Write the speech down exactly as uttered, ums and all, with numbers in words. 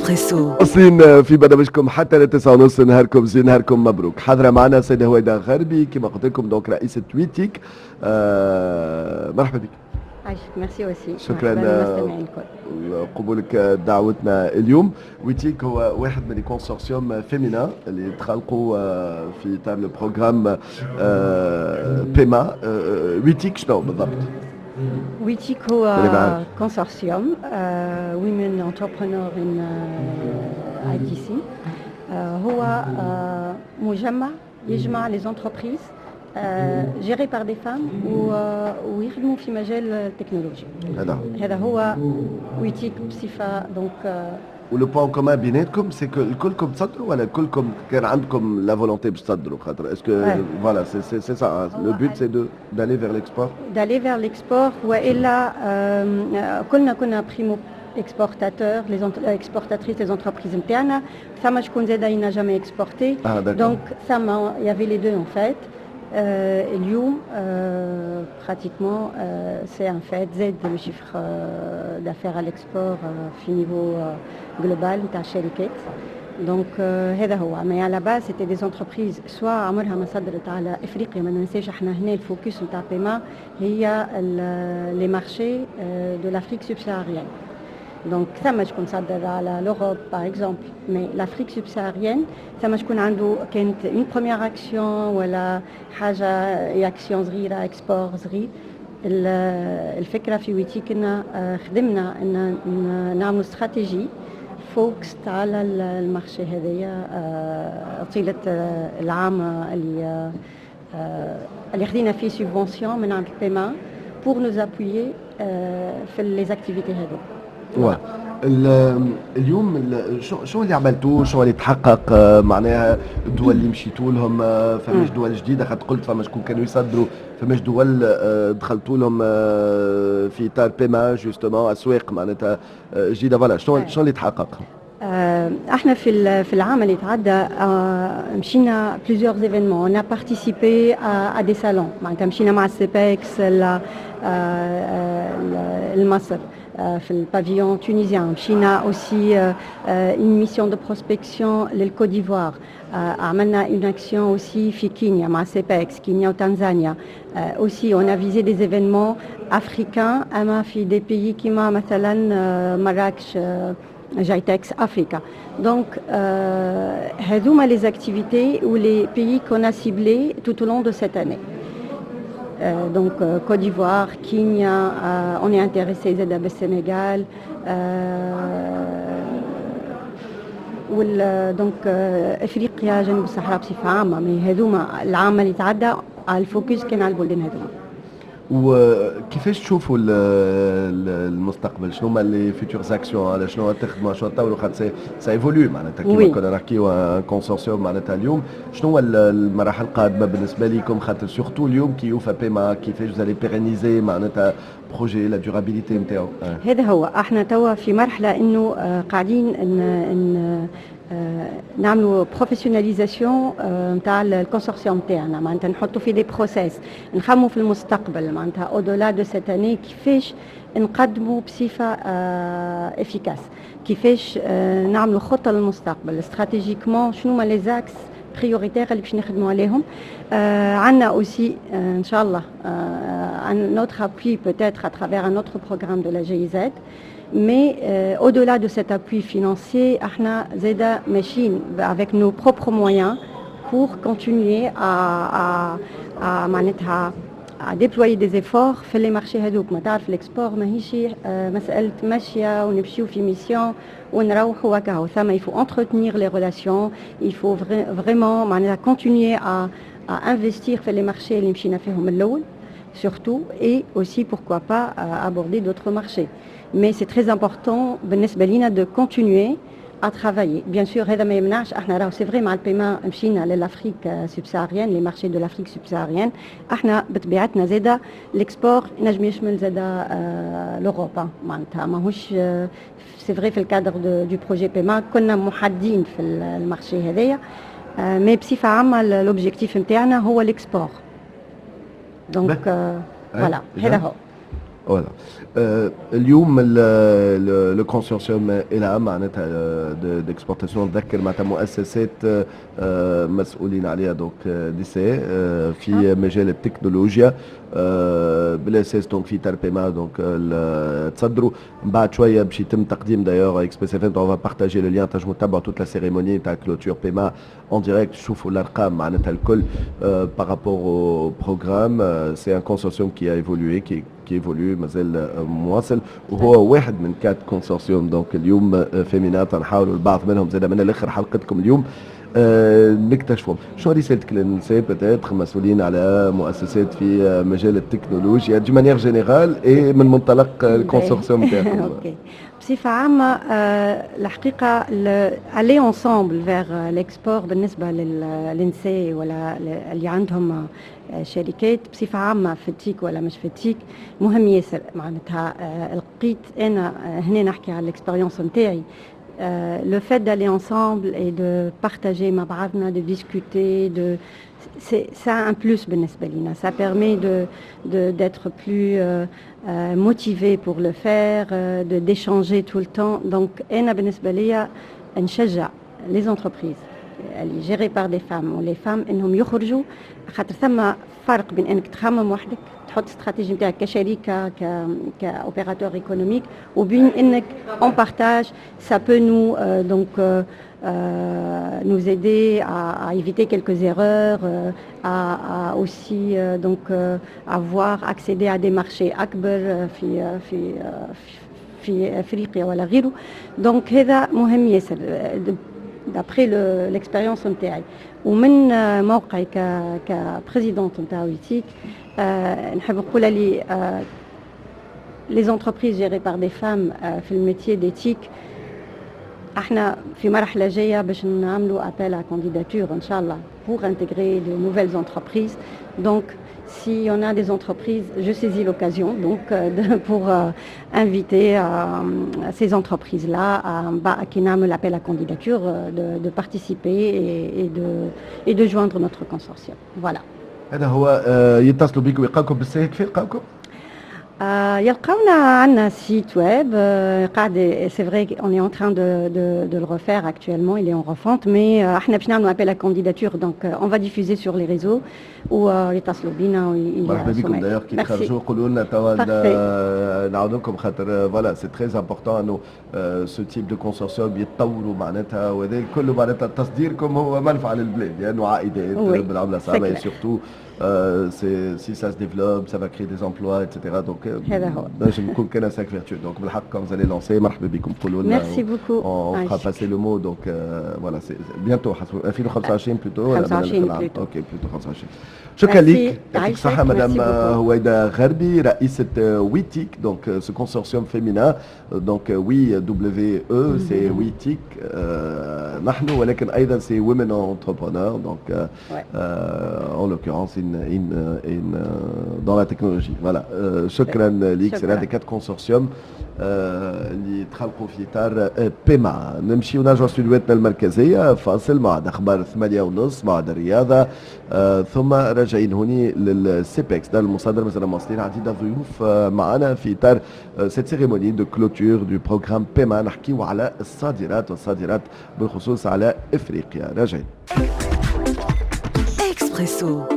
اكسبريسو. واصلين في برنامجكم حتى لتسعة ونص. نهاركم زين، نهاركم مبروك. حاضرة معنا السيدة هويدا غربي كما قلت لكم، donc رئيسة ويتيك. آه مرحبا بك. عايشك، ميرسي وسيم. شكرا. للمستمعين الكل. قبولك دعوتنا اليوم. ويتيك هو واحد من les consortiums féminins اللي تخلقوا آه، في اطار le programme PEMA. ويتيك شنو بالضبط؟ ويتيك هو consortium women entrepreneurs in ITC، هو آه، مجمع يجمع les entreprises gérées par des femmes ويخدموا في مجال التكنولوجيا. هذا هذا هو ويتيك بصفه donc و le point commun بيناتكم c'est que الكلكم تصدروا ولا كلكم كان عندكم la volonté باش تصدروا؟ خاطر est-ce que voilà، c'est c'est c'est ça le but، c'est de d'aller vers l'export؟ d'aller vers l'export، والا كلنا كنا primo exportateurs، les exportatrices، les entreprises نتاعنا. ثم شكون زاد il n'a jamais exporté. Ah, donc ثم il y avait les deux en fait. euh, اليوم euh, pratiquement euh, c'est un fait، زاد le chiffre euh, d'affaires à l'export euh, في niveau euh, global نتاع الشركات. donc هذا هو، mais à la base c'était des entreprises soit عمرها ما صدرت على افريقيا. ما ننساش احنا هنا ال focus نتاع PEMA هي les marchés de l'Afrique subsaharienne. donc ثم شكون صدر على l'Europe par exemple، mais l'Afrique subsaharienne ثم شكون عنده كانت une première action ولا حاجه، اكسيون صغيره، export صغير. الفكرة في ويتيك ان خدمنا ان نعملوا stratégie focusée على ال marché هذايا طيلة العام اللي اللي خدينا فيه subvention من عند ال PEMA pour nous appuyer في les activités هذو. اليوم شو شو اللي عملتوه؟ شو اللي تحقق؟ آه، معناها الدول اللي مشيتوا لهم، آه، فماش دول جديده؟ خاطر قلت فما شكون كانوا يصدروا، فماش دول آه، دخلتوا لهم في اطار PEMA justement، اسواق معناتها جديده؟ voilà، شنو شنو اللي تحقق؟ احنا في في العام اللي تعدى مشينا plusieurs événements، on a participé à, à des salons. معناتها مشينا مع ال CEPEX لمصر في ال pavillon tunisien، مشينا aussi une mission de prospection لل Côte d'Ivoire، عملنا une action aussi في كينيا مع CEPEX، كينيا وتنزانيا. aussi on a visé des événements africains اما في des pays كيما مثلا مراكش GITEX Africa. Donc, euh, هذوما les activités ou les pays qu'on a ciblés tout au long de cette année. Euh, donc euh, Côte d'Ivoire, Kenya, euh, on est intéressé زادة بالسنغال euh, وال donc افريقيا جنوب الصحراء بصفة عامه. mais هذوما العام اللي تعدى على ال focus كان على البلدان هذوما. وكيفاش تشوفوا المستقبل؟ شنو هما les futures actions؟ على شنو تخدموا؟ شنو تطوروا؟ خاطر ça évolue معناتها، كيما كنا نحكيو consortium معناتها. اليوم شنو هو المراحل القادمة بالنسبة لكم؟ خاطر surtout اليوم كي يوفى PEMA، كيفاش vous allez pérenniser معناتها projet، la durabilité نتاعو؟ هذا هو، احنا توا في مرحلة انه قاعدين ان ان نعملوا professionnalisation نتاع ال consortium تاعنا، معناتها نحطوا في des process، نخموا في المستقبل، معناتها au-delà de cette année كيفاش نقدموا بصفة efficace، كيفاش نعملوا خطه للمستقبل stratégiquement، شنو هما les axes prioritaires اللي باش نخدموا عليهم. آه عندنا aussi آه ان شاء الله un autre appui peut-être à travers un autre programme de la GIZ، mais euh, au-delà de cet appui financier احنا زاده ماشيين avec nos propres moyens pour continuer à, à, à معناتها à déployer des efforts في les marchés هذوك. ما تعرف l'export ماهيش مسألة ماشية ونمشيو في mission ونروحوا وكاهو. ثم il faut entretenir les relations، il faut vraiment معناتها continuer à, à investir في les marchés اللي مشينا فيهم الأول surtout، et aussi pourquoi pas aborder d'autres marchés. mais c'est très important بالنسبة لنا de continuer à travailler. Bien sûr, هذا ما يمنعش احنا راهو c'est vrai مع ال PEMA مشينا لل Afrique subsaharienne، les marchés de l'Afrique subsaharienne. احنا بطبيعتنا زاده l'export نجم يشمل زاده l'Europe، معناتها ماهوش c'est vrai في ال cadre du projet PEMA كنا محدين في ال marché هذايا، mais بصفة عامة l'objectif نتاعنا هو l'export. donc voilà، هذا هو. voilà، اليوم le consortium الى معناتها d'exportation، نذكر معناتها مؤسسات آه، مسؤولين عليها donc نساء آه، في مجال التكنولوجيا آه، بالاساس، donc في اطار PEMA donc تصدروا. من بعد شوية باش يتم تقديم، d'ailleurs Express FM on va partager le lien، تنجموا تتبعوا toute la cérémonie تاع clôture PEMA en direct، تشوفوا الارقام معناتها الكل par rapport au programme. c'est un consortium qui a évolué، qui qui évolue، مازال مواصل، وهو واحد من quatre consortiums donc اليوم féminins. نحاولوا البعض منهم زاد من الاخر حلقتكم اليوم آه، نكتشفهم. شنو رسالتك للنساء peut-être مسؤولين على مؤسسات في مجال التكنولوجيا d'une manière générale et من منطلق ال consortium تاعكم؟ OK، بصفة عامة آه، الحقيقة aller ensemble vers l'export بالنسبة للنساء ولا اللي عندهم آه، شركات بصفة عامة في ال TIC ولا مش في ال TIC مهم ياسر. معناتها لقيت أنا هنا نحكي على l'expérience نتاعي، Euh, le fait d'aller ensemble et de partager مع بعضنا، de discuter, de c'est ça un plus بالنسبة لنا. Ça permet de d'être plus euh, euh, motivé pour le faire, euh, de d'échanger tout le temps. Donc أنا بالنسبة لي نشجع les entreprises اللي gérées par des femmes و les femmes انهم يخرجوا، خاطر ثم فرق بين انك تخمم وحدك، تحط استراتيجي نتاعك كشركة ك ك opérateur économique، وبين انك on partage. ça peut nous euh, donc euh, euh, nous aider à, à éviter quelques erreurs, euh, à, à aussi euh, donc euh, avoir accéder à des marchés أكبر في في في افريقيا ولا غيره. donc هذا مهم ياسر d'après l'expérience نتاعي ومن موقعي ك ك présidente نتاع WeTIC. نحب نقول لي les entreprises gérées par des femmes في ال métier des TIC، احنا في مرحلة جاية باش نعملوا appel à candidature ان شاء الله pour intégrer de nouvelles entreprises. donc s'il y en a des entreprises, je saisis l'occasion donc de, pour euh, inviter euh, ces entreprises-là à, كي نعمل l'appel à candidature, de, de participer et, et, de, et de joindre notre consortium. Voilà. هذا هو، يتصلوا بكم ويلقاوكم بالساهل؟ كيف يلقاوكم؟ آه يلقاونا عندنا site web قاعد، c'est vrai on est en train de, de, de le refaire actuellement، il est en refonte، mais احنا باش نعملوا appel à candidature، donc on va diffuser sur les réseaux ويتصلوا بينا. مرحبا بكم. d'ailleurs كي تخرجوا قولوا لنا توا نعاونوكم، خاطر voilà c'est très important انه ce type de consortium يتطوروا معناتها، وهذا كله معناتها تصديركم هو منفعه للبلاد لانه عائدات بالعملة الصعبه، surtout Euh, si ça se développe, ça va créer des emplois, et cetera. Donc, هذا هو. نجم نكون كان cercle vertueux. Donc, بالحق quand vous allez lancer، مرحبا بكم، قولوا لنا. Merci beaucoup. On fera passer le mot. Donc, euh, voilà, c'est bientôt. ألفين وخمسة وعشرين plutôt. خمسة وعشرين plutôt. OK، plutôt خمسة وعشرين. شكرا لك، يعطيك الصحة مدام هويدا غربي، رئيسة WeTIC، donc ce consortium féminin، donc We W E c'est WeTIC نحن، ولكن ايضا c'est women entrepreneurs، donc en l'occurrence in in in dans la technologie. voilà، شكرا ليك. c'est l'un des quatre consortiums اللي تخلقوا في اطار PEMA. نمشي ونرجعوا استديوهاتنا المركزيه، فاصل مع اخبار ثمانية ونص، مع الرياضه، ثم راجعين هوني لل CEPEX دار المصادرة. مازال مواصلين، عديد الضيوف معنا في اطار cette cérémonie de clôture du programme PEMA، نحكيو على الصادرات والصادرات بالخصوص على افريقيا. راجعين. اكسبريسو.